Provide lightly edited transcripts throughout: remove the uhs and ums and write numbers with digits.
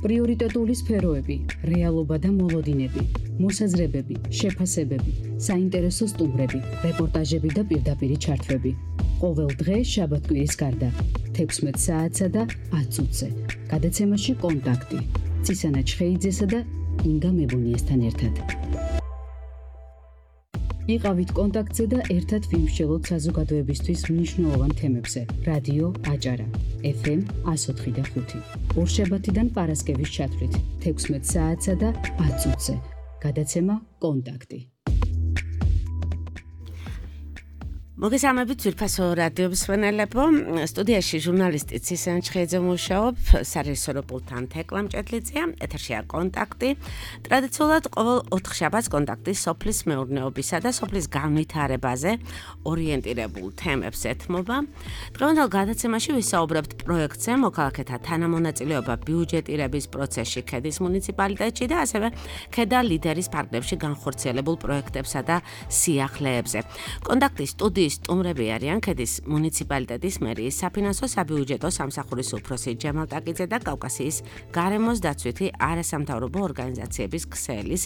პრიორიტეტული სფეროები, რეალობა და მოლოდინები, მოსაზრებები, შეფასებები, საინტერესო სტუმრები, რეპორტაჟები და პირდაპირი ჩართვები. ყოველ დღე შაბათ-კვირის გარდა 16 საათსა და 10 წუთზე. გადაცემაში კონტაქტი. ცისანა ჩხეიძესა და ინგა მებუნიესთან ერთად. იყავით კონტაქტზე და ერთად ვიმსჯელოთ საზოგადოებისთვის მნიშვნელოვან თემებზე. რადიო აჭარა, FM 104.5. ორშაბათიდან პარასკევის ჩათვლით 16 საათსა და 10 წუთზე. გადაცემა კონტაქტი. მოგესალმებით ძვირფასო რადიო მსმენელებო, სტუდიაში ჟურნალისტი ცისანა ჩხეიძე მუშაობ, სარეჟისორო პულტთან თეკლა მჭედლიძეა, ეთერშია კონტაქტი. ტრადიციულად ყოველ 4 შაბათს კონტაქტი სოფლის მეურნეობისა და სოფლის განვითარებაზე ორიენტირებულ თემებს ეთმობა. დღევანდელ გადაცემაში ვისაუბრებთ პროექტზე მოქალაქეთა თანამონაწილეობა ბიუჯეტირების პროცესში ქედის მუნიციპალიტეტში და ასევე ქედა ლიდერის ფარგლებში განხორციელებულ პროექტებსა და სიახლეებზე. კონტაქტის სტუდიის სტუმრები არიან ქედის მუნიციპალიტეტის მერიის საფინანსო საბიუჯეტო სამსახურის უფროსი ჯემალ ტაკიძე და კავკასიის გარემოს დაცვითი არასამთავრობო ორგანიზაციების ქსელის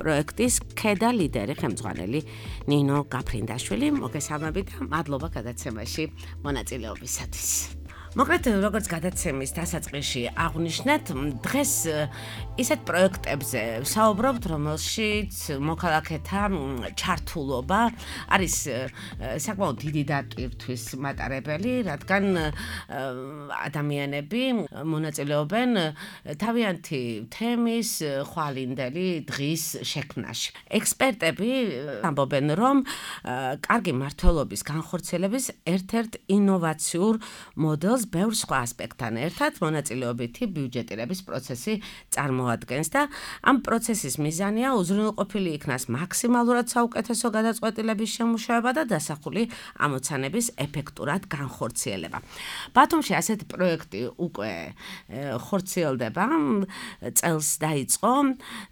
პროექტის ქედა ლიდერი ხელმძღვანელი ნინო გაფრინდაშვილი. მოგესალმებით და მადლობა გადაცემაში მონაწილეობისათვის. მოკლედ, როგორც გადაცემის დასაწყისში აღვნიშნეთ, დღეს ისეთ პროექტებზე ვსაუბრობთ, რომელშიც მოქალაქეთა ჩართულობა არის საკმაოდ დიდი დატვირთვის მატარებელი, რადგან ადამიანები მონაწილეობენ თავიანთი თემის, ხვალინდელი დღის შექმნაში. ექსპერტები ამბობენ, რომ კარგი მმართველობის განხორციელების ერთ-ერთ ინოვაციურ მოდელს ბევრ სხვა ასპექტთან ერთად მონაწილეობითი ბიუჯეტირების პროცესი წარმოადგენს და ამ პროცესის მიზანია უზრუნველყოფილი იქნას მაქსიმალურად საუკეთესო გადაწყვეტილების შემუშავება და დასახული ამოცანების ეფექტურად განხორციელება. ბათუმში ასეთი პროექტი უკვე ხორციელდება, წელს დაიწყო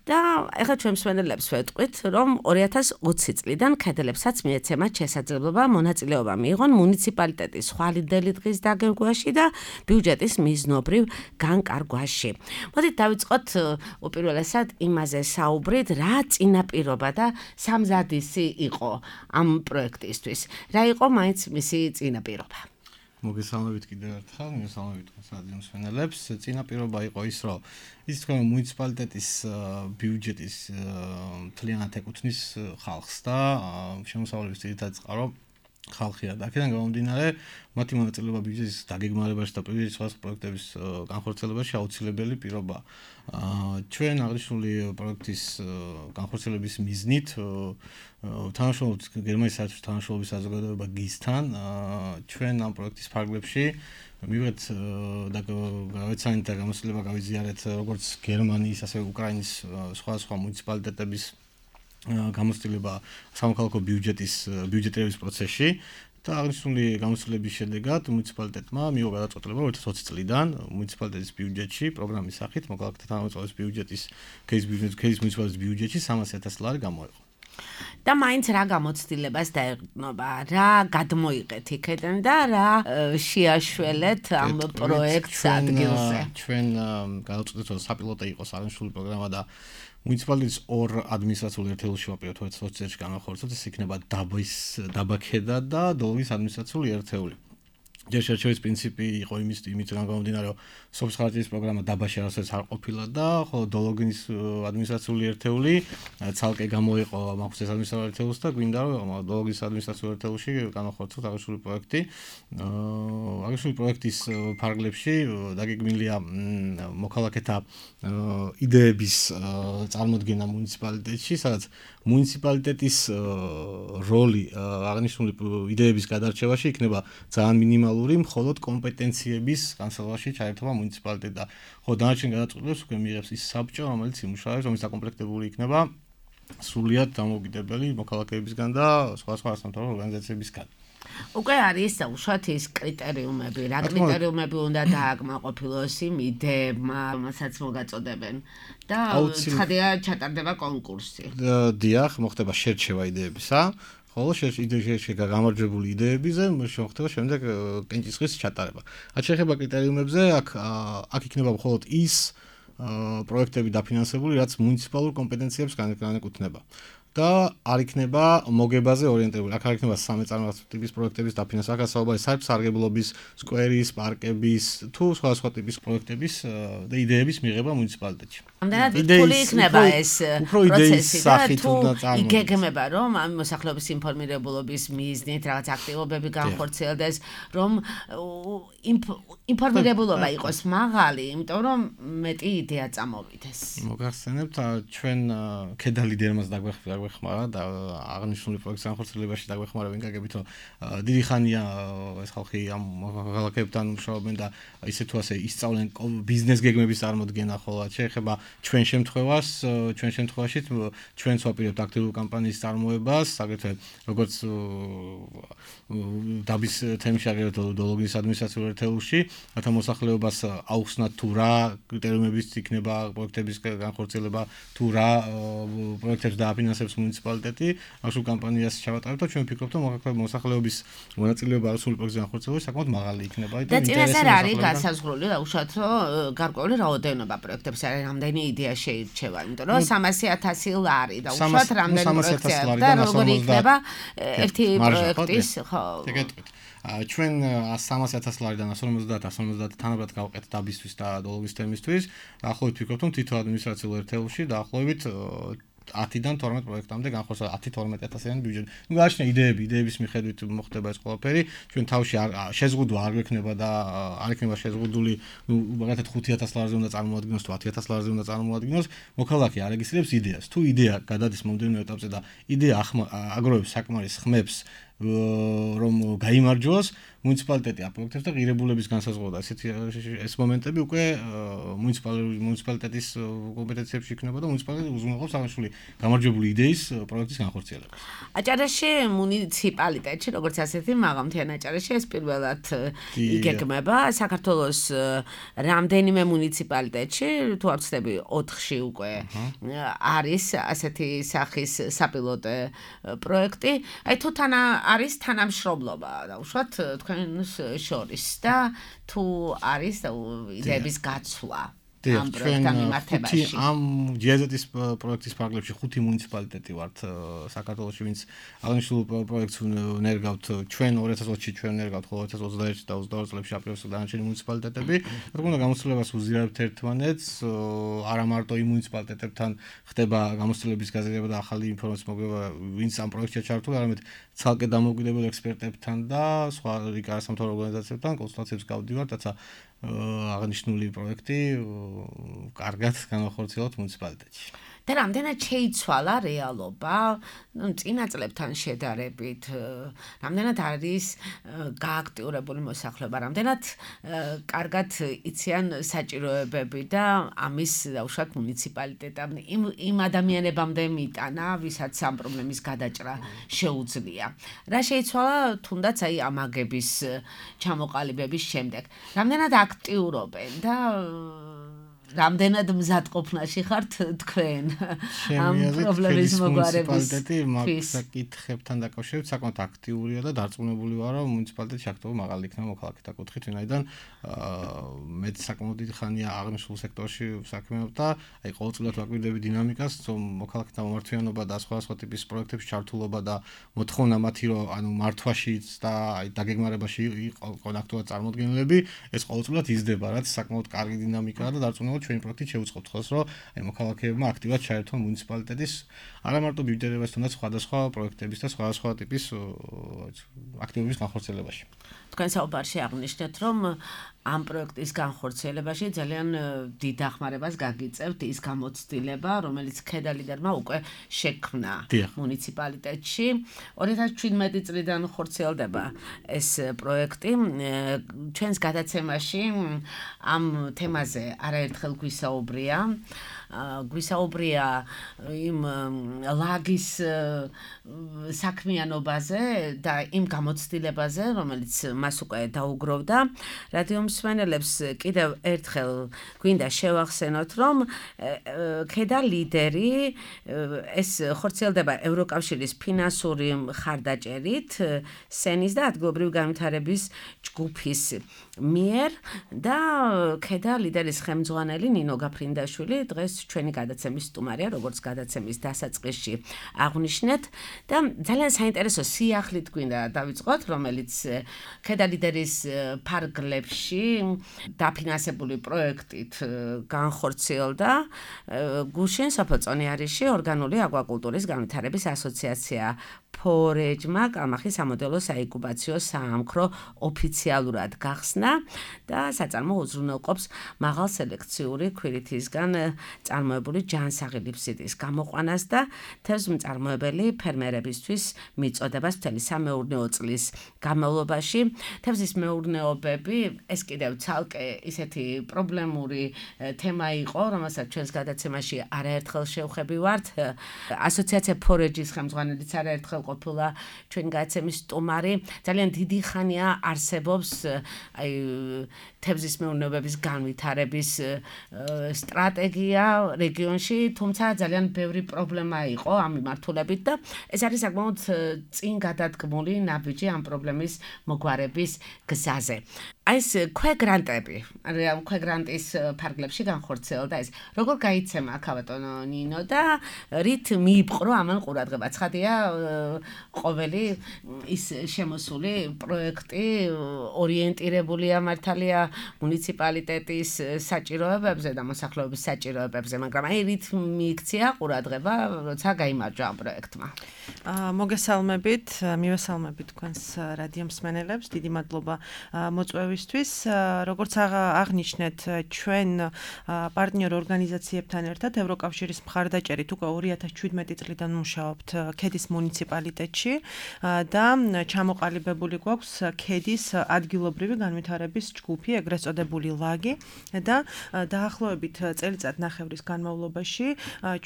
და ეხლა ჩვენ მსმენელებს ვეტყვით, რომ 2020 წლიდან ქედელებსაც მიეცემათ შესაძლებლობა მონაწილეობა მიიღონ მუნიციპალიტეტის ხვალინდელი დღის დაგეგმვაში და ბიუჯეტის მიზნობრივ განკარგვაში. მოდით დავიწყოთ უპირველესად იმაზე საუბრით, რა წინაპირობა და სამზადისი იყო ამ პროექტისთვის. რა იყო მაინც მისი წინაპირობა? მოგესალმებით კიდევ ერთხელ, მოგესალმებით რადიო მსმენელებს. წინაპირობა იყო ის, რომ ის თქვენ მუნიციპალიტეტის ბიუჯეტის მთლიანად ეკუთვნის ხალხს და შემოსავლების ძირითადი წყარო ხალხია და აქედან გამომდინარე მათი მონაწილეობა ბიუჯეტის დაგეგმარებაში და პირველი სხვა პროექტების განხორციელებაში აუცილებელი პირობა. ჩვენ აღნიშნული პროექტის განხორციელების მიზნით თანამშრომლობთ გერმანიის საერთაშორისო თანამშრომლობის საზოგადოება GIZ-თან. ჩვენ ამ პროექტის ფარგლებში მივიღეთ და გავეცანით და გამოცდილება გავიზიარეთ როგორც გერმანიის, ასევე უკრაინის სხვა მუნიციპალიტეტების გამოცდილება სამოქალაქო ბიუჯეტირების პროცესში და აღნიშნული გამოცდილების შედეგად მუნიციპალიტეტმა მიიღო გადაწყვეტილება 2020 წლიდან მუნიციპალიტეტის ბიუჯეტში პროგრამის სახით მოქალაქეთა თანამოწმობის ბიუჯეტის ქედის მუნიციპალიტეტის ბიუჯეტში 300,000 ლარი გამოიყო. და მაინც რა გამოცდილებას დაეყრდნობა, რა გადმოიღეთ იქიდან და რა შეაშველეთ ამ პროექტს ადგილზე? ჩვენ გადავწყვეტეთ, რომ საპილოტო იყოს აღნიშნული პროგრამა და მუნიციპალიტეტის ორ ადმინისტრაციულ ერთეულში ვაპირებთ 2020 წელს განახორციელოთ, ეს იქნება დაბა ქედა და დოლოგის ადმინისტრაციული ერთეული. ჯერ შერჩევის პრინციპი იყო იმით გამომდინარე, რომ სოფლის ხარჯების პროგრამა დაბაში არასდროს არ ყოფილა და ხოლო დოლოგის ადმინისტრაციული ერთეული ცალკე გამოიყო მახსოვს ადმინისტრაციული ერთეულს და გვინდა რომ დოლოგის ადმინისტრაციული ერთეულში განახორციელოთ აღნიშნული პროექტი. აღნიშნული პროექტის ფარგლებში დაგეგმილია მოქალაქეთა იდეების წარმოდგენა მუნიციპალიტეტში, სადაც მუნიციპალიტეტის როლი აღნიშნული იდეების გადარჩევაში იქნება ძალიან მინიმალური, მხოლოდ კომპეტენციების განსაზღვრავებაში ჩაერთობა მუნიციპალიტეტი და ხო დანარჩენ გადაწყვეტილებას უკვე მიიღებს ის საბჭო, რომელიც იმუშავებს, რომელიც დაკომპლექტებული იქნება სრულიად დამოუკიდებელი მოქალაქეებისგან და სხვა არასამთავრობო ორგანიზაციებისგან. უკვე არის უშუალოდ ის კრიტერიუმები, რა კრიტერიუმები უნდა დააკმაყოფილოს იმ იდეებმა, რომელსაც მოგაწოდებენ და ცხადია ჩატარდება კონკურსი. დიახ, მოხდება შერჩევა იდეებისა. ხოლო შეიძლება გამარჯვებული იდეებზე მოხდება შემდეგ კენჭისყრის ჩატარება. რაც შეეხება კრიტერიუმებზე, აქ იქნება მხოლოდ ის პროექტები დაფინანსებული, რაც მუნიციპალურ კომპეტენციებს განეკუთვნება. და არ იქნება მოგებაზე ორიენტირებული. აქ არ იქნება სამეწარმოებო ტიპის პროექტების დაფინანსება, აქ საუბარი საერთო-სარგებლობის, სკვერის, პარკების, თუ სხვა ტიპის პროექტების და იდეების მიღება მუნიციპალიტეტში. ამდენად რთული იქნება ეს პროცესი და თუ იგეგმება, რომ ამ მოსახლეობის ინფორმირებულობის მიზნით რაღაც აქტივობები განხორციელდეს, რომ ინფორმირებულობა იყოს მაღალი, იმიტომ რომ მეტი იდეა წამოვიდეს. მოგახსენებთ, ჩვენ ქედა ლიდერმაც დაგვეხმარა და აღნიშნული პროექტის განხორციელებაში დაგვეხმარა ვინკაგებით, რომ დიდი ხანია ეს ხალხი ამ ქალაქებთან მუშაობენ და ისე თუ ასე ისწავლენ ბიზნეს გეგმების წარმოდგენა, ხოლო შეეხება ჩვენ შემთხვევაში ჩვენც ვაპირებთ აქტიურ კამპანიის წარმოებას, აგრეთვე როგორც დაბის თემში, აგრეთვე იდეოლოგიის ადმინისტრაციულ ერთეულში, რათა მოსახლეობას აუხსნათ თუ რა კრიტერიუმებით იქნება პროექტების განხორციელება, თუ რა პროექტებს დააფინანსებს მუნიციპალიტეტი, ახალ კამპანიას ჩავატარებთ და ჩვენ ვფიქრობთ, რომ მოსახლეობის მონაწილეობა ასული პროექტის განხორციელებაში საკმაოდ მაღალი იქნება და წინასწარ არის განსაზღვრული, უშუალოდ რომ გარკვეული რაოდენობა პროექტებს არის, რამდენი იდეა შეირჩევა, იმიტომ რომ 300,000 ლარი და უშუალოდ რამდენი პროექტია და როგორი იქნება ერთი პროექტის, ხო. ჩვენ 300,000 ლარიდან 150 თანაბრად გავყეთ დაბისთვის და იდეოლოგიის თემისთვის. დაახლოებით ვფიქრობთ, რომ თითო ადმინისტრაციულ ერთეულში დაახლოებით 10-დან 12 პროექტამდე განხორციელდება 10-12,000-იანი ბიუჯეტი. ნუ გააჩნია იდეების მიხედვით მოხდება ეს ყველაფერი. ჩვენ თავში შეზღუდვა არ გვექნება და არ იქნება შეზღუდული, ნუ მაგათად 5,000 ლარზე უნდა წარმოადგინოს, თუ 10,000 ლარზე უნდა წარმოადგინოს. მოქალაქე არეგისტრირებს იდეას. თუ იდეა გადადის მომდევნო ეტაპზე და იდეა აგროვებს საკმარის ხმებს, რომ გაიმარჯვოს, მუნიციპალიტეტი აპროექტებს და ღირებულების განსაზღვრა. ეს მომენტები უკვე მუნიციპალიტეტის კომპეტენციებში იქნება და მუნიციპალიტეტი უზრუნველყოფს აღნიშნული გამარჯვებული იდეის პროექტის განხორციელებას. აჭარაში მუნიციპალიტეტში, როგორც ასეთი მაღალმთიანი აჭარაში ეს პირველად იგეგმება. საქართველოს რამდენიმე მუნიციპალიტეტში, თუ არ ვცდები 4-ში უკვე არის ასეთი სახის საპილოტო პროექტი. აი თუ არის თანამშრომლობა და უშუალოდ თქვენს შორის და თუ არის იდეების გაცვლა ამ პროექტთან მიმართებაში. ამ ჯიაზეთის პროექტის ფარგლებში 5 მუნიციპალიტეტი ვართ საქართველოში, ვინც აღნიშნულ პროექტს ნერგავთ. ჩვენ 2020-ში ჩვენ ნერგავთ, ხოლო 2021 და 22 წლებში აპრიელში დანარჩენი მუნიციპალიტეტები. თქმა უნდა, გამოცდილებას უზიარებთ ერთმანეთს, არა მარტო იმ მუნიციპალიტეტებთან ხდება გამოცდილების გაზრდილი და ახალი ინფორმაციის მოგება, ვინც ამ პროექტში ჩართული, არამედ ცალკე დამოუკიდებელ ექსპერტებთან და სხვა არასამთავრობო ორგანიზაციებთან კონსულტაციებს გავდივართ, რათა აღნიშნული პროექტი კარგად განახორციელოთ მუნიციპალიტეტში. და რამდენად შეიცვალა რეალობა, წინა წლებთან შედარებით, რამდენად არის გააქტიურებული მოსახლეობა, რამდენად კარგად იციან საჭიროებები და ამის უშუალოდ მუნიციპალიტეტამ იმ ადამიანებამდე მიტანა, ვისაც ამ პრობლემის გადაჭრა შეუძლია. რა შეიცვალა თუნდაც აი ამ აგების ჩამოყალიბების შემდეგ. რამდენად აქტიურობენ და რამდენად მზადყოფნაში ხართ თქვენ ამ პრობლემის მოგვარების საკითხებთან დაკავშირებით საკმაოდ აქტიურია და დარწმუნებული ვარ, რომ მუნიციპალიტეტი აქტიურად მაღალი იქნება მოქალაქეთა კუთხით, ვინაიდან მეც საკმაოდ დიდი ხანია აღნიშნულ სექტორში ვსაქმევ და აი ყოველწლიურად ვაკვირდები დინამიკას, რომ მოქალაქეთა მომართვიანობა და სხვა ტიპის პროექტებში ჩართულობა და მოთხოვნა მათი რომ ანუ მართვაშიც და აი დაგეგმარებაში იყო აქტიურად წარმოდგენილები, ეს ყოველწლიურად იზრდება, რაც საკმაოდ კარგი დინამიკაა და დარწმუნებული ჩვენი პროექტით შევუწყობთ ხოლმე, რომ აი მოქალაქეებმა აქტიურად ჩაერთონ მუნიციპალიტეტის არა მარტო ბიუჯეტებას, თუნდაც სხვადასხვა პროექტების და სხვადასხვა ტიპის აქტივობის განხორციელებაში. თქვენ საუბარში აღნიშნეთ, რომ ამ პროექტის განხორციელებაში ძალიან დიდ დახმარებას გაგიწევთ ის გამოცდილება, რომელიც ქედა ლიდერმა უკვე შექმნა მუნიციპალიტეტში. 2017 წლიდან ხორციელდება ეს პროექტი. ჩვენს გადაცემაში ამ თემაზე არაერთხელ გვისაუბრია იმ ლაგის საქმიანობაზე და იმ გამოცდილებაზე, რომელიც მას უკვე დაუგროვდა. რადიო მსმენელებს კიდევ ერთხელ გვინდა შევახსენოთ, რომ ქედა ლიდერი ეს ხორციელდება ევროკავშირის ფინანსური მხარდაჭერით, სენის და ადგილობრივი განვითარების ჯგუფის მიერ და ქედა ლიდერის ხელმძღვანელი ნინო გაფრინდაშვილი დღეს ჩვენი გადაცემის სტუმარია, როგორც გადაცემის დასაწყისში აღვნიშნეთ და ძალიან საინტერესო სიახლით გვინდა დავიწყოთ, რომელიც ქედა ლიდერის ფარგლებში დაფინანსებული პროექტით განხორციელდა გუშინ სოფელ-წონიარიში ორგანული აკვაკულტურის განვითარების ასოციაცია ფორეჯმა კალმახის სამოდელო საინკუბაციო საამქრო ოფიციალურად გახსნა და საწარმო უზრუნველყოფს მაღალ სელექციური ქვირითისგან წარმოებული ჯანსაღი ლიფსიტის გამოყვანას და თევზმწარმოებელი ფერმერებისთვის მიწოდებას მთელი სამეურნეო წლის განმავლობაში. თევზის მეურნეობები ეს კიდევ ცალკე ისეთი პრობლემური თემა იყო, რომელსაც ჩვენს გადაცემაში არაერთხელ შევხვევით. ასოციაცია ფორეჯის ხელმძღვანელიც არაერთხელ ყოფილა ჩვენი გადაცემის სტუმარი. ძალიან დიდი ხანია არსებობს თევზის მეურნეობების განვითარების სტრატეგია რეგიონში, თუმცა ძალიან ბევრი პრობლემა იყო ამ მიმართულებით და ეს არის საკმაოდ წინ გადადგმული ნაბიჯი ამ პრობლემის მოგვარების გზაზე. ეს ქვეგრანტები, ქვეგრანტის ფარგლებში განხორციელდა ეს. როგორ გაიცემა ქავატონო ნინო და რით მიიპყრო ამან ყურადღება? ცხადია ყოველი ის შემოსული პროექტი ორიენტირებულია მართალია მუნიციპალიტეტის საჭიროებებზე და მოსახლეობის საჭიროებებზე, მაგრამ აი რით მიიქცია ყურადღება, როცა გაიმარჯვა ამ პროექტმა. მოგესალმებით, მივესალმებით თქვენს რადიო მსმენელებს, დიდი მადლობა მოწვევისთვის. როგორც აღნიშნეთ, ჩვენ პარტნიორ ორგანიზაციებთან ერთად ევროკავშირის მხარდაჭერით უკვე 2017 წლიდან მუშაობთ ქედის მუნიციპალიტეტში და ჩამოყალიბებული გვაქვს ქედის ადგილობრივი განვითარების ჯგუფი, ეგრეთ წოდებული ლაგი და დაახლოებით წელიწადნახევრის განმავლობაში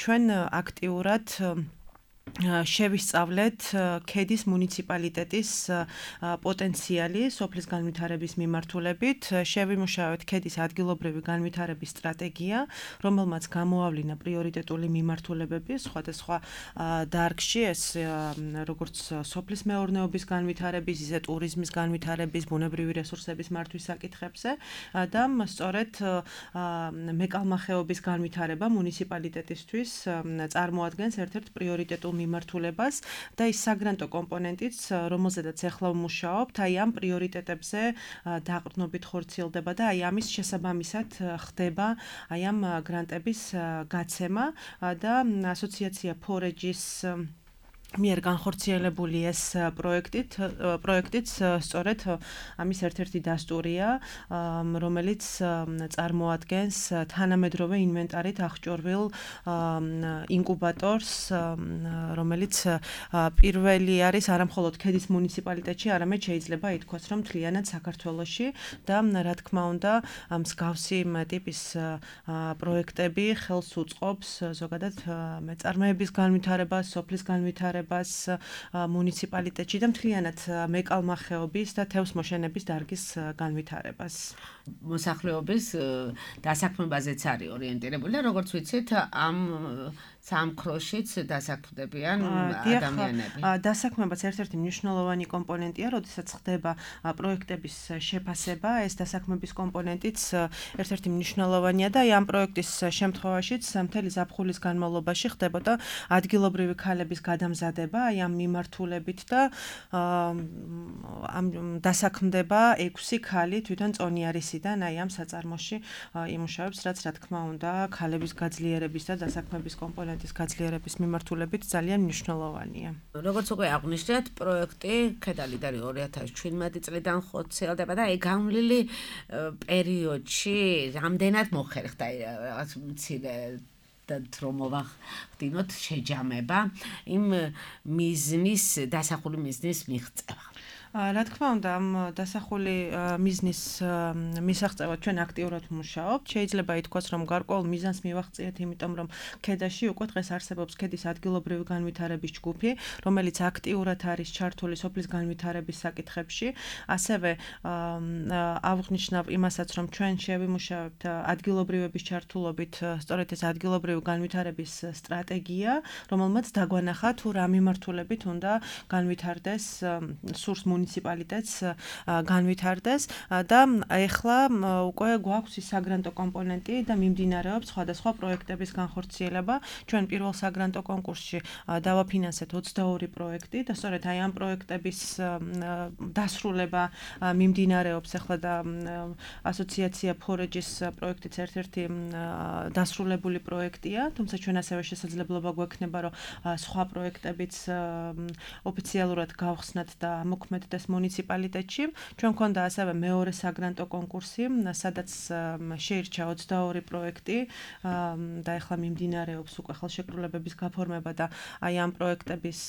ჩვენ აქტიურად შევისწავლეთ ქედის მუნიციპალიტეტის პოტენციალი სოფლის განვითარების მიმართულებით, შევიმუშავეთ ქედის ადგილობრივი განვითარების სტრატეგია, რომელმაც გამოავლინა პრიორიტეტული მიმართულებები სხვადასხვა დარგში, ეს როგორც სოფლის მეურნეობის განვითარების, ისე ტურიზმის განვითარების, ბუნებრივი რესურსების მართვის საკითხებზე და სწორედ მეკალმახეობის განვითარება მუნიციპალიტეტისთვის წარმოადგენს ერთ-ერთ პრიორიტეტულ მიმართულებას და ის საგრანტო კომპონენტიც, რომელზედაც ახლა ვმუშაობთ, აი ამ პრიორიტეტებზე დაყრდნობით ხორციელდება და აი ამის შესაბამისად ხდება აი ამ გრანტების გაცემა და ასოციაცია ფორეჯის მიერ განხორციელებული ეს პროექტიც სწორედ ამის ერთ-ერთი დასტურია, რომელიც წარმოადგენს თანამედროვე ინვენტარით აღჭურვილ ინკუბატორს, რომელიც პირველი არის არამხოლოდ ქედის მუნიციპალიტეტში, არამედ შეიძლება ითქვას, რომ მთლიანად საქართველოში და რა თქმა უნდა, მსგავსი ტიპის პროექტები ხელს უწყობს ზოგადად მეწარმეების განვითარებას, სოფლის განვითარებას მუნიციპალიტეტში და მთლიანად მეკალმახეობის და თევზმოშენების დარგის განვითარებას. მოსახლეობის დასაქმებაზეც არის ორიენტირებული და როგორც ვიცით, ამ სამქროშიც დასაქმდებიან ადამიანები. დასაქმებაც ერთ-ერთი მნიშვნელოვანი კომპონენტია, როდესაც ხდება პროექტების შეფასება, ეს დასაქმების კომპონენტიც ერთ-ერთი მნიშვნელოვანია და ამ პროექტის შემთხვევაშიც მთელი ზაფხულის განმავლობაში ხდებოდა ადგილობრივი ქალების გადამზადება ამ მიმართულებით და ამ დასაქმდება 6 ქალი თვითონ წონიარისიდან აი ამ საწარმოში იმუშავებს, რაც რა თქმა უნდა ქალების გაძლიერების და დასაქმების კომპონენტის გაძლიერების მიმართულებით ძალიან მნიშვნელოვანია. როგორც უკვე აღვნიშნეთ, პროექტი ქედა ლიდერი 2017 წლიდან ხორციელდება და აი განვლილი პერიოდში რამდენად მოხერხდა რაღაც მცირე და რომოვახდინოთ შეჯამება იმ მიზნის დასახული მიზნის მიღწევა. რა თქმა უნდა, ამ დასახული მიზნის მისაღწევად ჩვენ აქტიურად ვმუშაობთ. შეიძლება ითქვას, რომ გარკვეულ მიზანს მივაღწიეთ, იმიტომ რომ ქედაში უკვე დღეს არსებობს ქედის ადგილობრივი განვითარების ჯგუფი, რომელიც აქტიურად არის ჩართული სოფლის განვითარების საკითხებში. ასევე აღვნიშნავ იმასაც, რომ ჩვენ შევიმუშავებთ ადგილობრივების ჩართულობით სწორედ ეს ადგილობრივი განვითარების სტრატეგია, რომელმაც დაგვანახა თუ რა მიმართულებით უნდა განვითარდეს სურს მუნიციპალიტეტს განვითარდეს და ეხლა უკვე გვაქვს ის საგრანტო კომპონენტი და მიმდინარეობს სხვადასხვა პროექტების განხორციელება. ჩვენ პირველ საგრანტო კონკურსში დავაფინანსეთ 22 პროექტი და სწორედ აი ამ პროექტების დასრულება მიმდინარეობს ახლა და ასოციაცია ფორეჯის პროექტიც ერთ-ერთი დასრულებული პროექტია, თუმცა ჩვენ ასევე შესაძლებლობა გვექნება, რომ სხვა პროექტებიც ოფიციალურად გავხსნათ და მოქმედდეს მუნიციპალიტეტში. ჩვენ გვქონდა ასევე მეორე საგრანტო კონკურსი, სადაც შეირჩა 22 პროექტი და ახლა მიმდინარეობს უკვე ხელშეკრულებების გაფორმება და აი ამ პროექტების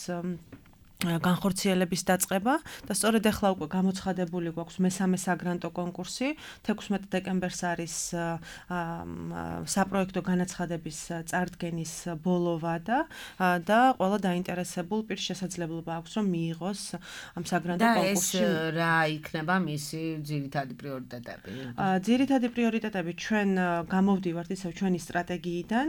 განხორციელების დაწყება და სწორედ ახლა უკვე გამოცხადებული გვაქვს მესამე საგრანტო კონკურსი 16 დეკემბერს არის საპროექტო განაცხადების წარდგენის ბოლო ვადა და ყველა დაინტერესებულ პირს შესაძლებლობა აქვს რომ მიიღოს ამ საგრანტო კონკურსში და ეს რა იქნება მისი ძირითადი პრიორიტეტები? ძირითადი პრიორიტეტები ჩვენ გამოვდივართ ისევ ჩვენი სტრატეგიიდან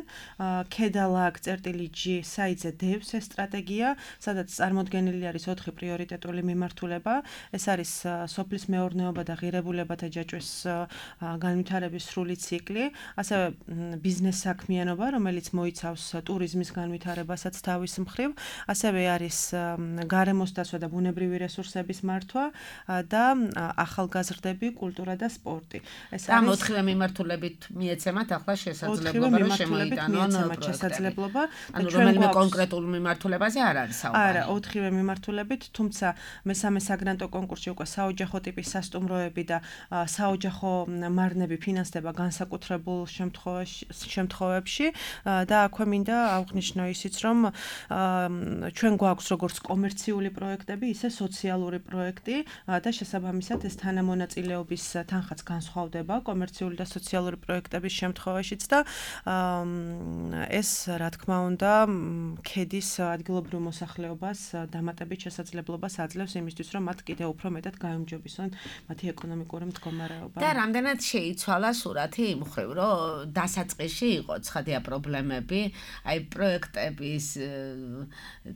KEDALAG-G საიტზე დევს ეს სტრატეგია სადაც წარმოდგენილია არის 4 პრიორიტეტული მიმართულება. ეს არის სოფლის მეურნეობა და ღირებულებათა ჯაჭვის განვითარების სრული ციკლი, ასევე ბიზნეს საქმიანობა, რომელიც მოიცავს ტურიზმის განვითარებასაც თავის მხრივ, ასევე არის გარემოს დაცვა და ბუნებრივი რესურსების მართვა და ახალგაზრდები, კულტურა და სპორტი. ეს არის 4 მიმართულებით მიეცემათ ახლა შესაძლებლობა რომ შემოიტანონ შესაძლებლობა და ჩვენ კონკრეტულ მიმართულებაზე არ არის საუბარი. არა, 4 მიმართულებით, თუმცა მესამე საგრანტო კონკურსში უკვე საოჯახო ტიპის სასტუმროები და საოჯახო მარნები ფინანსდება განსაკუთრებულ შემთხვევებში და აქვე მინდა აღვნიშნო ისიც, რომ ჩვენ გვაქვს როგორც კომერციული პროექტები, ისე სოციალური პროექტი და შესაბამისად ეს თანამონაწილეობის თანხაც განსხვავდება კომერციული და სოციალური პროექტების შემთხვევაშიც და ეს რა თქმა უნდა KED-ის ადგილობრივ მოსახლეობას დამატებით შესაძლებლობას აძლევს იმისთვის, რომ მათ კიდევ უფრო მეტად გაემჯობესონ მათი ეკონომიკური მდგომარეობა. და რამდენად შეიცვალა სურათი იმ მხრივ, რომ დასაწყისში იყო ცხადია პრობლემები, აი პროექტების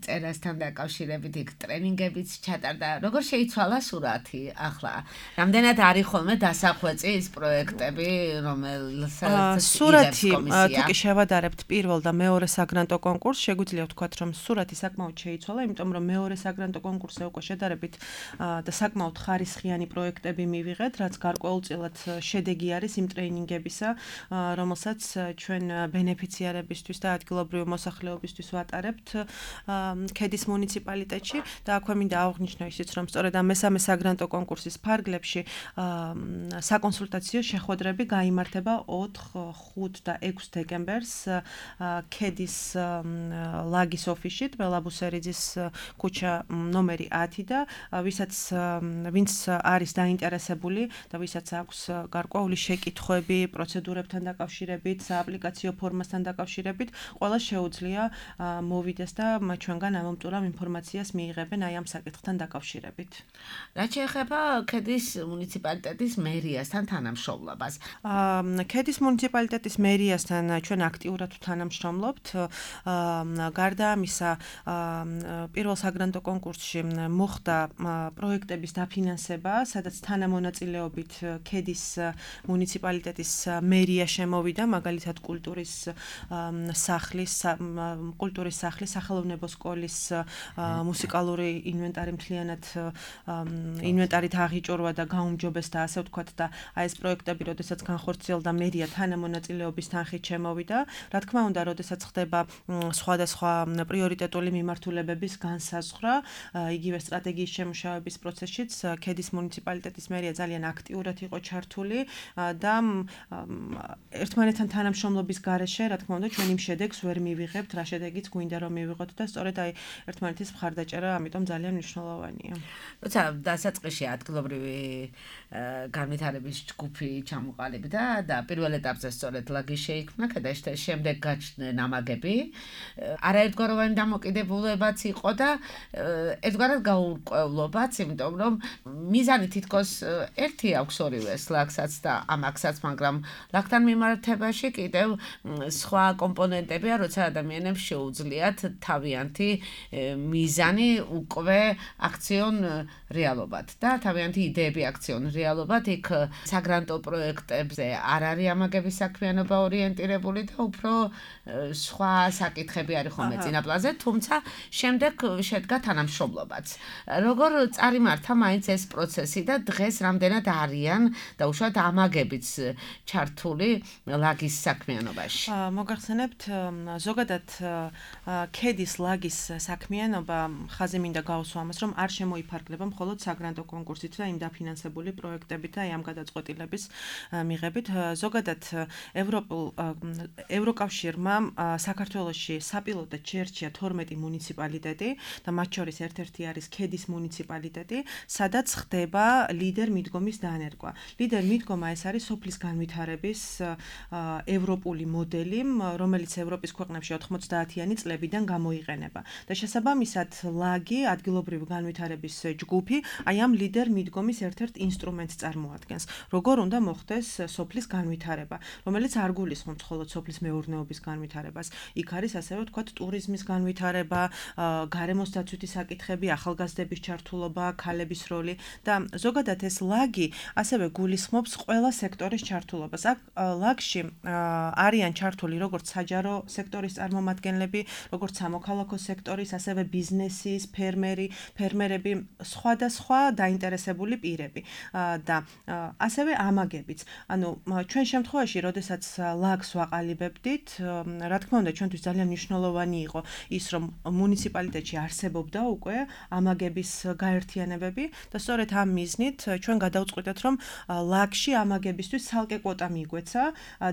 წერასთან დაკავშირებით იქ ტრენინგებიც ჩატარდა. როგორ შეიცვალა სურათი ახლა? რამდენად არის ხოლმე დასახვეწი ის პროექტები, რომელსაც სურათი თუ კი შევადარებთ პირველ და მეორე საგრანტო კონკურსს, შეგვიძლია ვთქვათ, რომ სურათი საკმაოდ შეიცვალა, იმიტომ რომ მეორე საგრანტო კონკურსზე უკვე შედარებით და საკმაოდ ხარისხიანი პროექტები მივიღეთ, რაც გარკვეულწილად შედეგი არის იმ ტრეინინგებისა, რომელსაც ჩვენ ბენეფიციარებისთვის და ადგილობრივი მოსახლეობისთვის ვატარებთ KED-ის მუნიციპალიტეტში და აქვე მინდა აღვნიშნო ისიც, რომ სწორედ ამ მესამე საგრანტო კონკურსის ფარგლებში საკონსულტაციო შეხვედრები გაიმართება 4, 5 და 6 დეკემბერს KED-ის ლაგის ოფისში, ტბელაბუსერიძის ქუჩა ნომერი 10 და ვინც არის დაინტერესებული და ვისაც აქვს გარკვეული შეკითხვები პროცედურებთან დაკავშირებით, სააპლიკაციო ფორმასთან დაკავშირებით, ყველა შეუძლია მოვიდეს და ჩვენგან ამომტურავ ინფორმაციას მიიღებენ აი ამ საკითხთან დაკავშირებით. რაც შეეხება KED-ის მუნიციპალიტეტის მერიასთან თანამშრომლობას. KED-ის მუნიციპალიტეტის მერიასთან ჩვენ აქტიურად თანამშრომლობთ. გარდა ამისა, პირველ საგრანტო კონკურსში მოხდა პროექტების დაფინანსება, სადაც თანამონაწილეობით KED-ის მუნიციპალიტეტის მერია შემოვიდა, მაგალითად კულტურის სახლის, სახელოვნებო სკოლის მუსიკალური ინვენტარი მთლიანად ინვენტარით აღიჭურვა და გაუმჯობესდა, ასე ვთქვათ და აი ეს პროექტები, როდესაც განხორციელდა მერია თანამონაწილეობის თანხით შემოვიდა. რა თქმა უნდა, როდესაც ხდება სხვადასხვა პრიორიტეტული მიმართულებების განსაზღვრა, იგივე სტრატეგიის შემუშავების პროცესშიც KED-ის მუნიციპალიტეტის მერია ძალიან აქტიურად იყო ჩართული და ერთმანეთთან თანამშრომლობის გარეშე, რა თქმა უნდა, ჩვენ იმ შედეგს ვერ მივიღებთ, რა შედეგიც გვინდა რომ მივიღოთ და სწორედ აი ერთმანეთის მხარდაჭერა ამიტომ ძალიან მნიშვნელოვანია. როცა დასაწყისში ადგილობრივი განვითარების ჯგუფი ჩამოყალიბდა და პირველ ეტაპზე სწორედ ლაგი შეიქმნა, და შემდეგ გაჩნდნენ ამაგები, არაერთგვაროვანი დამოკიდებულებაც იყო და ერთგვარად გაურკვევლობაც, იმიტომ რომ მიზანი თითქოს ერთი აქვს ორივეს, ლაგსაც და ამაკსაც, მაგრამ ლაგთან მიმართებაში კიდევ სხვა კომპონენტებია, როცა ადამიანებს შეუძლიათ თავიანთი მიზანი უკვე აქციონ რეალობად და თავიანთი იდეები აქციონ რეალობად, იქ საგრანტო პროექტებზე არ არის ამაგების საქმიანობა ორიენტირებული და უფრო სხვა საკითხები არის ხოლმე წინაპლანზე, თუმცა შემდეგ შედგა თანამშრომლობაც. როგორ წარიმართა მაინც ეს პროცესი და დღეს რამდენად არიან და უშუალოდ ამაგებიც ჩართული ლაგის საქმიანობაში? მოგახსენებთ, ზოგადად ქედის ლაგის საქმიანობა ხაზი მინდა გავუსვა ამას, რომ არ შემოიფარგლება მხოლოდ საგრანტო კონკურსით და იმ დაფინანსებული პროექტებით და ამ გადაწყვეტილების მიღებით. ზოგადად ევროკავშირმა საქართველოში საპილოტოდ შეერჩია 12 მუნიციპალიტეტი და მათ შორის ერთ-ერთი არის ქედის მუნიციპალიტეტი, სადაც ხდება ლიდერ მიდგომის დანერგვა. ლიდერ მიდგომა ეს არის სოფლის განვითარების ევროპული მოდელი, რომელიც ევროპის ქვეყნებში 90-იანი წლებიდან გამოიყენება. და შესაბამისად ლაგი, ადგილობრივი განვითარების ჯგუფი, აი ამ ლიდერ მიდგომის ერთ-ერთ ინსტრუმენტს წარმოადგენს. როგორ უნდა მოხდეს სოფლის განვითარება, რომელიც არ გულისხმობს მხოლოდ სოფლის მეურნეობის განვითარებას. იქ არის ასევე ვთქვათ ტურიზმის განვითარება, გარემოს დაცვითი საკითხები, ახალგაზრდების ჩართულობა, ქალების როლი და ზოგადად ეს ლაგი ასევე გულისხმობს ყველა სექტორის ჩართულობას. აქ ლაგში არიან ჩართული როგორც საჯარო სექტორის წარმომადგენლები, როგორც სამოქალაქო სექტორის, ასევე ბიზნესის, ფერმერები, სხვადასხვა დაინტერესებული პირები და ასევე ამაგებიც. ანუ ჩვენ შემთხვევაში, როდესაც ლაგს ვაყალიბებდით, რა თქმა უნდა, ჩვენთვის ძალიან მნიშვნელოვანი იყო ის, რომ მუნიციპალიტეტში არსებობდა უკვე ამაგების გაერთიანებები და სწორედ ამ მიზნით ჩვენ გადავწყვიტეთ, რომ ლაგში ამაგებისთვის ცალკე კვოტა მიგვეცა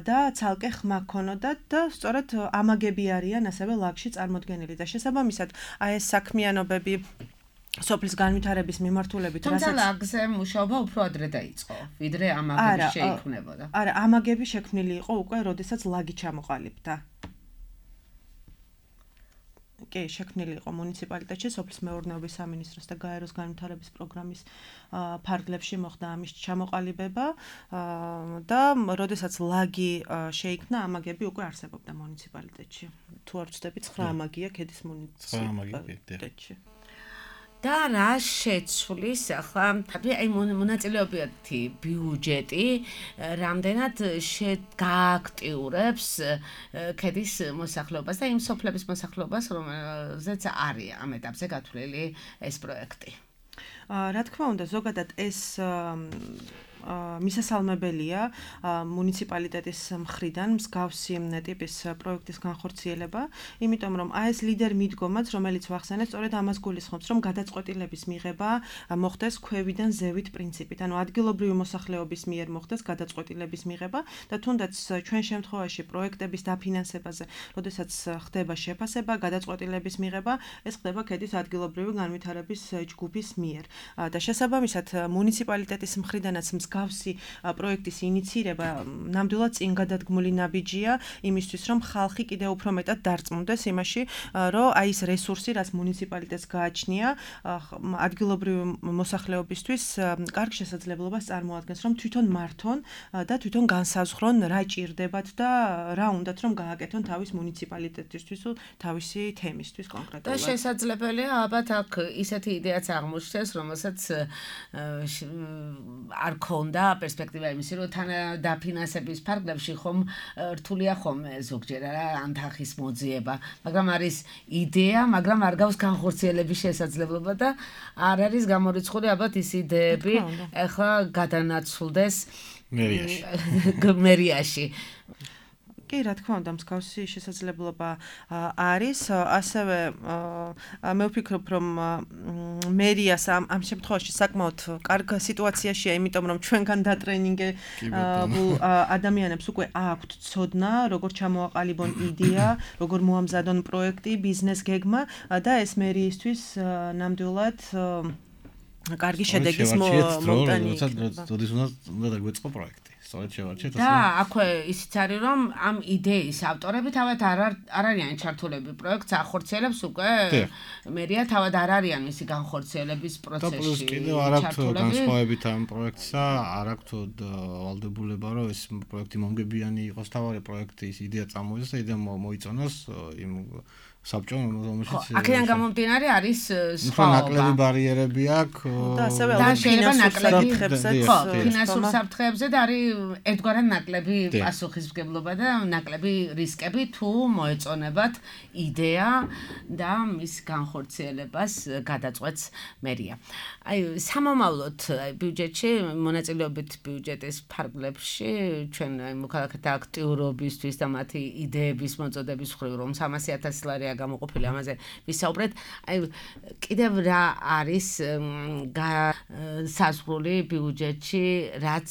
და ცალკე ხმა გქონოდათ და სწორედ ამაგები არიან ასევე ლაგში წარმოდგენილი და შესაბამისად აი ეს საქმიანობები სოფლის განვითარების მიმართულებით, თუმცა ლაგზე მუშაობა უფრო ადრე დაიწყო, ვიდრე ამაგები შეიქმნებოდა. არა, ამაგები შექმნილი იყო უკვე, როდესაც ლაგი ჩამოყალიბდა. კი, შექმნილი იყო მუნიციპალიტეტში, სოფლის მეურნეობის სამინისტროს და გაეროს განვითარების პროგრამის ფარგლებში მოხდა ამის ჩამოყალიბება და როდესაც ლაგი შეიქმნა, ამაგები უკვე არსებობდა მუნიციპალიტეტში. თუ არ ვცდები, 9 ამაგია ქედის მუნიციპალიტეტში. და რა შეცვლის ახლა აი მონაწილეობითი ბიუჯეტი რამდენად გააქტიურებს ქედის მოსახლეობას და იმ სოფლების მოსახლეობას, რომელზეც არის ამ ეტაპზე გათვლილი ეს პროექტი. რა თქმა უნდა, ზოგადად ეს მისასალმებელია მუნიციპალიტეტის მხრიდან მსგავსი ტიპის პროექტის განხორციელება, იმიტომ რომ აი ეს ლიდერ მიდგომაც, რომელიც ვახსენეთ, სწორედ ამას გულისხმობს, რომ გადაწყვეტილების მიღება მოხდეს ქვევიდან ზევით პრინციპით, ანუ ადგილობრივი მოსახლეობის მიერ მოხდეს გადაწყვეტილების მიღება და თუნდაც ჩვენ შემთხვევაში პროექტების დაფინანსებაზე, როდესაც ხდება შეფასება, გადაწყვეტილების მიღება, ეს ხდება ქედის ადგილობრივი განვითარების ჯგუფის მიერ. და შესაბამისად მუნიციპალიტეტის მხრიდანაც მსგავსი პროექტის ინიცირება ნამდვილად წინ გადადგმული ნაბიჯია იმისთვის, რომ ხალხი კიდევ უფრო მეტად დარწმუნდეს იმაში, რომ აი ეს რესურსი, რაც მუნიციპალიტეტს გააჩნია, ადგილობრივი მოსახლეობისთვის კარგ შესაძლებლობას წარმოადგენს, რომ თვითონ მართონ და თვითონ განსაზღვრონ რა ჭირდებათ და რა უნდათ რომ გააკეთონ თავის მუნიციპალიტეტისთვის თუ თავისი თემისთვის კონკრეტულად. და შესაძლებელია ალბათ აქ ისეთი იდეაც აღმოჩნდეს, რომელსაც არ ქონდა პერსპექტივა იმისი, რომ თან დაფინანსების ფარგლებში ხომ რთულია ხოლმე ზოგჯერ რა ანთახის მოძიება, მაგრამ არის იდეა, მაგრამ არ გავს განხორციელების შესაძლებლობა და არ არის გამორიცხული ალბათ ის იდეები ახლა გადანაცვლდეს მერიაში. კი, რა თქმა უნდა, მსგავსი შესაძლებლობა არის. ასევე მე ვფიქრობ, რომ მერიას ამ შემთხვევაში საკმაოდ კარგ სიტუაციაშია, იმიტომ რომ ჩვენგან დატრენინგებულ ადამიანებს უკვე აქვთ ცოდნა, როგორ ჩამოაყალიბონ იდეა, როგორ მოამზადონ პროექტი, ბიზნეს გეგმა და ეს მერიისთვის ნამდვილად კარგი შედეგის მომტანი იქნება. როდის უნდა დაგვეწყო პროექტი. სწორედ შევარჩიეთ და აქვე ისიც არის რომ ამ იდეის ავტორები თავად არ არიან ჩართულები პროექტს ახორციელებს უკვე მერია თავად არ არიან მისი განხორციელების პროცესში და პლუს კიდევ არ აქვს განსხვავებით ამ პროექტსა არ აქვს ვალდებულება რომ ეს პროექტი მომგებიანი იყოს თავარი პროექტის იდეა წამოიძეს და იდეა მოიწონოს იმ საბჭომ რომელშიც აქედან გამომდინარე არის სხვაობა. ნაკლები ბარიერები აქვს და ასევე ფინანსურ საფრთხეებზე და არის ერთგვარად ნაკლები პასუხისმგებლობა და ნაკლები რისკები თუ მოეწონებათ იდეა და მის განხორციელებას გადაწყვეტს მერია. აი სამომავლოდ ბიუჯეტში მონაწილეობით ბიუჯეტის ფარგლებში ჩვენ აი მოქალაქეთა აქტიურობისთვის და მათი იდეების მოწოდების მხრივ რომ 300,000 ლარი გამოყოფილი ამაზე ვისაუბრეთ. აი კიდევ რა არის საზღვრული ბიუჯეტში, რაც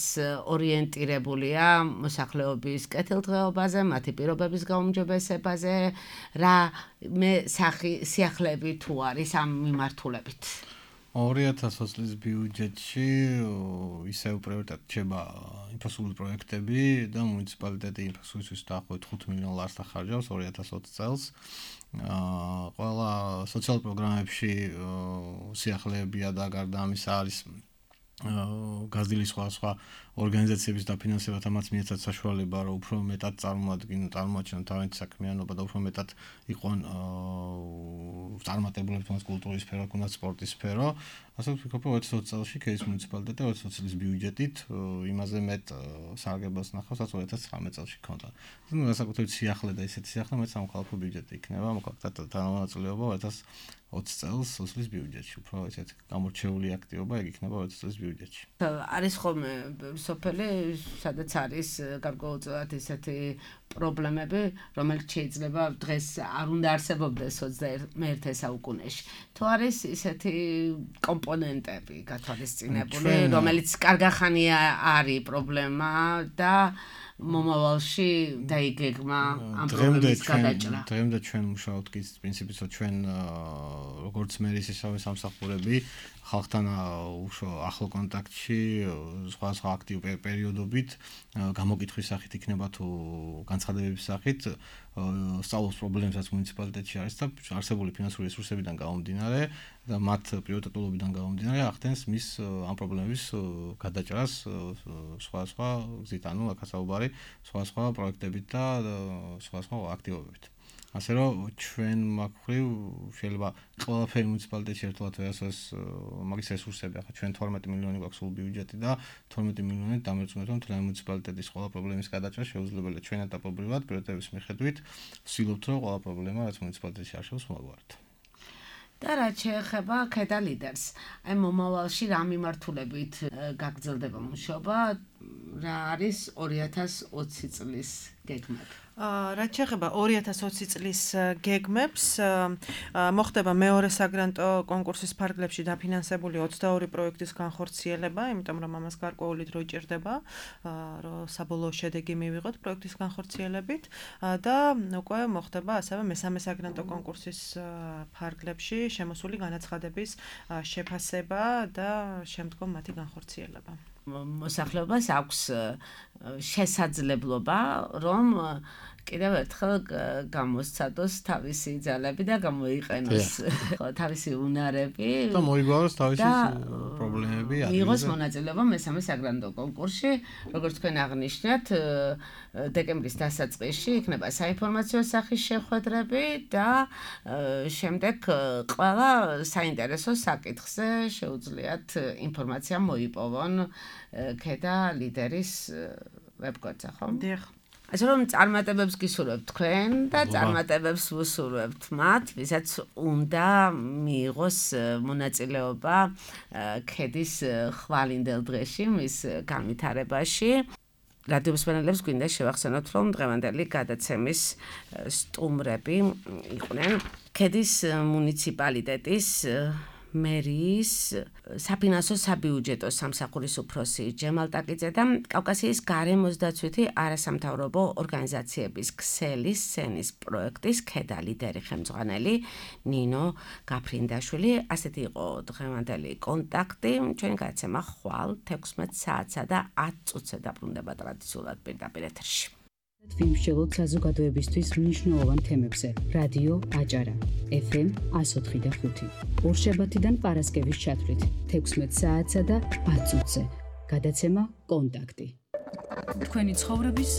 ორიენტირებულია მოსახლეობის კეთილდღეობაზე, მათი პირობების გაუმჯობესებაზე, რა სიახლეები თუ არის ამ მიმართულებით. 2020 წლის ბიუჯეტში ისევ პრიორიტეტად რჩება ინფრასტრუქტურის პროექტები და მუნიციპალიტეტი ინფრასტრუქტურისთვის დაახლოებით 5 მილიონ ლარს ახარჯავს 2020 წელს. ყველა სოციალურ პროგრამებში სიახლეებია და გარდა ამისა არის გაზრდილი სხვა ორგანიზაციების დაფინანსება თამაც მიეცათ საშუალება რომ უფრო მეტად წარმოაჩინონ თავიანთი საქმიანობა და უფრო მეტად იყვნენ წარმატებულები თუნდაც კულტურის სფერო, თუნდაც სპორტის სფერო. ასე ვფიქრობ, რომ 2020 წელს ქედის მუნიციპალიტეტი 2020 წლის ბიუჯეტით იმაზე მეტ სარგებლობას ნახავს, რაც 2019 წელს ჰქონდა. ნუ განსაკუთრებით სიახლე და ისეთი სიახლე მე სამოქალაქო ბიუჯეტი იქნება, მოქალაქეთა თანამონაწილეობა 2020 წელს სოციალის ბიუჯეტში. უფრო ესეთი გამორჩეული აქტივობა ეგ იქნება 2020 წლის ბიუჯეტში. არის ხოლმე სოფელი, სადაც არის გარკვეულწილად ისეთი პრობლემები, რომელიც შეიძლება დღეს არ უნდა არსებობდეს 21 საუკუნეში. თუ არის ისეთი კომპონენტები გათვალისწინებული, რომელიც კარგახანია არის პრობლემა და მომავალში დაიგეგმა ამ პრობლემის გადაჭრა. დღემდე ჩვენ მუშაობთ კი პრინციპით, რომ ჩვენ როგორც მერის ისევე სამსახურები ხალხთან ახლო კონტაქტში სხვა აქტივ პერიოდობით გამოკითხვის სახით იქნება თუ განცხადებების სახით სწავლობს პრობლემებსაც მუნიციპალიტეტში არის და არსებული ფინანსური რესურსებიდან გამომდინარე და მათ პრიორიტეტულობიდან გამომდინარე ახდენს მის ამ პრობლემების გადაჭრას სხვა გზით, ანუ აქასაუბარი სხვა პროექტებით და სხვა აქტივობებით. ასე რომ ჩვენ მაგხრივ შეიძლება ყველაფერი მუნიციპალიტეტში ერთად ვეასოს მაგის რესურსები ახლა ჩვენ 12 მილიონი გვაქვს სულ ბიუჯეტი და 12 მილიონით დამერწმუნეთ რომ თლიანი მუნიციპალიტეტის ყველა პრობლემის გადაჭრა შეუძლებელია ჩვენ ეტაპობრივად პრიორიტეტების მიხედვით ვცდილობთ რომ ყველა პრობლემა რაც მუნიციპალიტეტში არსებობს მოვაგვაროთ. და რაც შეეხება ქედა ლიდერს, აი მომავალში რა მიმართულებით გაგრძელდება მუშაობა, რა არის 2020 წლის გეგმები? რაც შეეხება 2020 წლის გეგმებს, მოხდება მეორე საგრანტო კონკურსის ფარგლებში დაფინანსებული 22 პროექტის განხორციელება, იმიტომ რომ ამას გარკვეული დრო ჭირდება, რომ საბოლოო შედეგი მივიღოთ პროექტის განხორციელებით და უკვე მოხდება ასევე მესამე საგრანტო კონკურსის ფარგლებში შემოსული განაცხადების შეფასება და შემდგომ მათი განხორციელება. მოსახლეობას აქვს შესაძლებლობა, რომ კიდევ ერთხელ გამოსცადოს თავისი ძალები და გამოიყენოს თავისი უნარები და მოიგონოს თავისი პრობლემები. მიიღოს მონაწილეობა მესამე საგრანდო კონკურსში, როგორც თქვენ აღნიშნეთ, დეკემბრის დასაწყისში იქნება საინფორმაციო სახის შეხვედრები და შემდეგ ყველა საინტერესო საკითხზე შეუძლიათ ინფორმაცია მოიპოვონ ქედა ლიდერის ვებგვერდზე, ხო? დიახ. ასე რომ წარმატებებს გისურვებთ თქვენ და წარმატებებს ვუსურვებთ მათ, ვისაც უნდა მიიღოს მონაწილეობა ქედის ხვალინდელ დღეში, მის განვითარებაში. რადიო მსმენელებს გვინდა შევახსენოთ, რომ დღევანდელი გადაცემის სტუმრები იყვნენ ქედის მუნიციპალიტეტის მერის საფინანსო საბიუჯეტო სამსახურის უფროსი ჯემალ ტაკიძე და კავკასიის გარემოს დაცვითი არასამთავრობო ორგანიზაციების ქსელის სცენის პროექტის ქედა ლიდერი ხელმძღვანელი ნინო გაფრინდაშვილი. ასეთი იყო დღევანდელი კონტაქტი. ჩვენი გადაცემა ხვალ 16 საათსა და 10 წუთზე დაბრუნდება ტრადიციულად პირდაპირ ეთერში. ვიმსჯელოთ საზოგადოებისთვის მნიშვნელოვან თემებზე. რადიო აჭარა FM 104.5. ორშაბათიდან პარასკევის ჩათვლით 16 საათსა და 10 წუთზე. გადაცემა კონტაქტი. თქვენი ცხოვრების